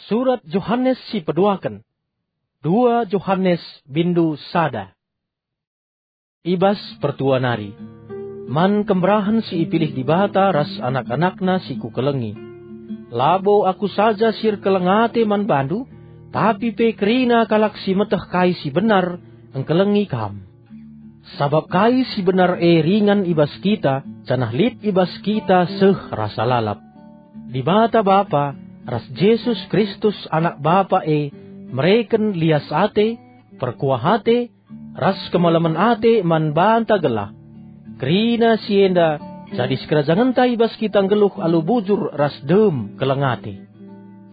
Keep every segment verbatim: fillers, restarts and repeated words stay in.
Surat Johanes si peduaken. Dua Johanes bindu sada. I bas pertua nari. Man kemberahen si ipilih Dibata ras anak-anakNa si kukelengi. Labo aku saja si erkeleng ate man bandu, tapi pe kerina kalak si meteh kai si benar engkelengi kam. Sabap kai si benar e ringan i bas kita, janah lit i bas kita seh rasa lalap. Dibata Bapa ras Jesus Kristus Anak Bapa e mereken lias ate, perkuah ate, ras kemalemen ate man banta gelah kerina si enda jadi sikerajangenta i bas kita nggeluh alu bujur ras dem keleng ate.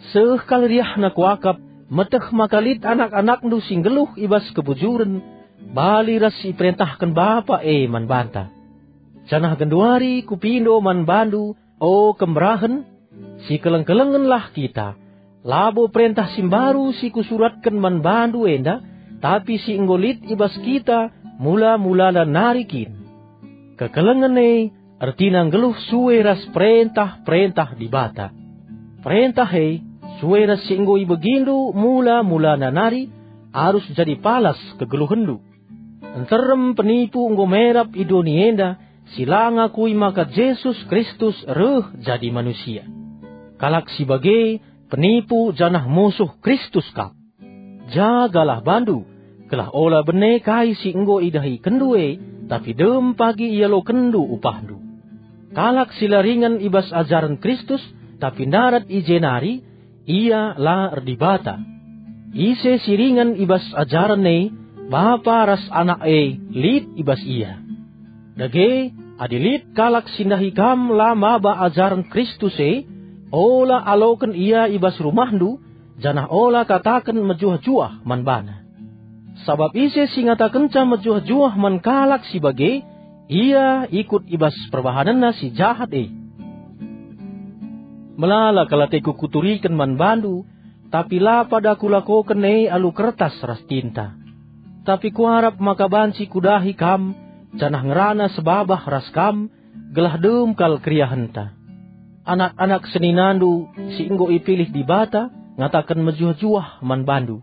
Seh kal riahna kuakap, meteh maka lit anak-anakndu si nggeluh i bas kebujuren, bali ras si iperentahken Bapa e man banta. Janah genduari kupindo man bandu, o kemberahen, sikeleng-kelengenlah kita. Labo perentah si mbaru si kusuratken man bandu enda, tapi si enggo lit i bas kita mula-mulana nari kin. Kekelengen e ertina nggeluh sue ras perentah-perentah Dibata. Perentah e, sue ras si enggo ibegindu mula-mulana nari, arus jadi palas kegeluhenndu. Nterem penipu enggo merap i doni enda, si la ngakui maka Jesus Kristus reh jadi manusia. Kalak si bage penipu janah musuh Kristus kap. Jagalah bandu, gelah ola bene kai si enggo idahikenndu e, tapi dem pagi ialokenndu upahndu. Kalak si la ringan i bas ajaren Kristus, tapi ndarat i je nari, ia la erdibata. Ise si ringan i bas ajaren e, Bapa ras Anak e lit i bas ia. Dage, adi lit kalak si ndahi kam la maba ajaren Kristus e, ola aloken ia i bas rumahndu, janah ola kataken mejuah-juah man bana. Sabap ise si ngatakenca mejuah-juah man kalak si bage, ia ikut i bas perbahanenna si jahat e. Melala kal ateku kuturiken man bandu, tapi la pada kulakoken e alu kertas ras tinta. Tapi kuarap maka banci kudahi kam, janah ngerana sebabah ras kam, gelah dem kal keriahenta. Anak-anak seninandu si enggo ipilih Dibata ngataken mejuah-juah man bandu.